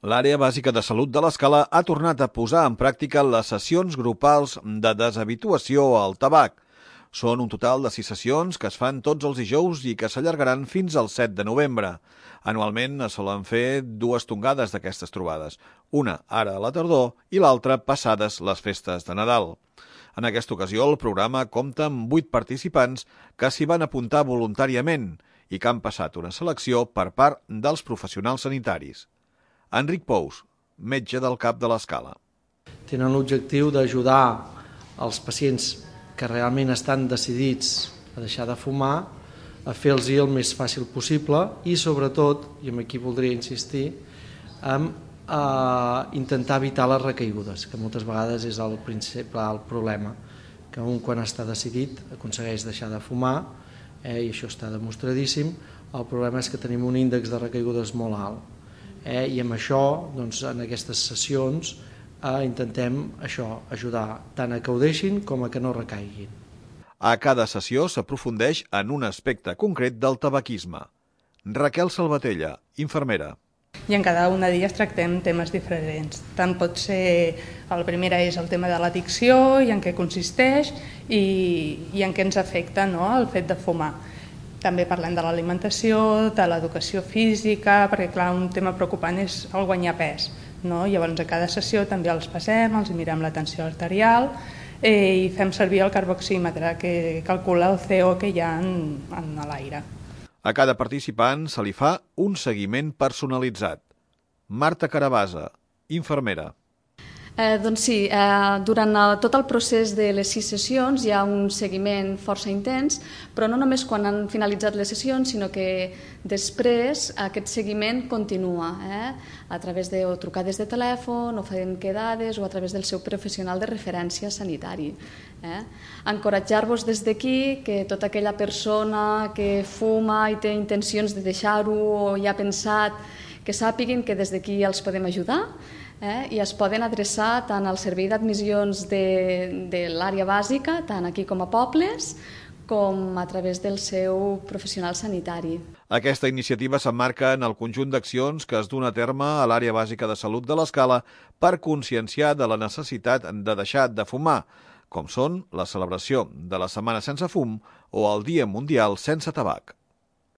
L'Àrea Bàsica de Salut de l'Escala ha tornat a posar en pràctica les sessions grupals de deshabituació al tabac. Són un total de 6 sessions que es fan tots els dijous i que s'allargaran fins al 7 de novembre. Anualment es solen fer 2 tongades d'aquestes trobades, una ara a la tardor i l'altra passades les festes de Nadal. En aquesta ocasió el programa compta amb 8 participants que s'hi van apuntar voluntàriament i que han passat una selecció per part dels professionals sanitaris. Enric Pous, metge del CAP de l'Escala. Tenen l'objectiu d'ajudar els pacients que realment estan decidits a deixar de fumar, a fer-los el més fàcil possible i sobretot, i aquí voldria insistir, en intentar evitar les recaigudes, que moltes vegades és el principal problema, que un quan està decidit aconsegueix deixar de fumar, i això està demostradíssim. El problema és que tenim un índex de recaigudes molt alt. I amb això, en aquestes sessions, intentem ajudar tant a que ho deixin com a que no recaiguin. A cada sessió s'aprofundeix en un aspecte concret del tabaquisme. Raquel Salvatella, infermera. I en cada una d'elles tractem temes diferents. Tant pot ser, la primera és el tema de l'addicció i en què consisteix i en què ens afecta el fet de fumar. També parlem de l'alimentació, de l'educació física, perquè clar, un tema preocupant és el guanyar pes. Llavors a cada sessió també els passem, els mirem la tensió arterial i fem servir el carboxímetre que calcula el CO que hi ha en l'aire. A cada participant se li fa un seguiment personalitzat. Marta Carabasa, infermera. Doncs sí, durant tot el procés de les 6 sessions hi ha un seguiment força intens, però no només quan han finalitzat les sessions, sinó que després aquest seguiment continua a través de trucades de telèfon, o fent quedades, o a través del seu professional de referència sanitari. Encoratjar-vos des d'aquí que tota aquella persona que fuma i té intencions de deixar-ho o ja ha pensat, que sàpiguin que des d'aquí els podem ajudar i es poden adreçar tant al servei d'admissions de l'àrea bàsica, tant aquí com a pobles, com a través del seu professional sanitari. Aquesta iniciativa s'emmarca en el conjunt d'accions que es duen a terme a l'Àrea Bàsica de Salut de l'Escala per conscienciar de la necessitat de deixar de fumar, com són la celebració de la Setmana Sense Fum o el Dia Mundial Sense Tabac.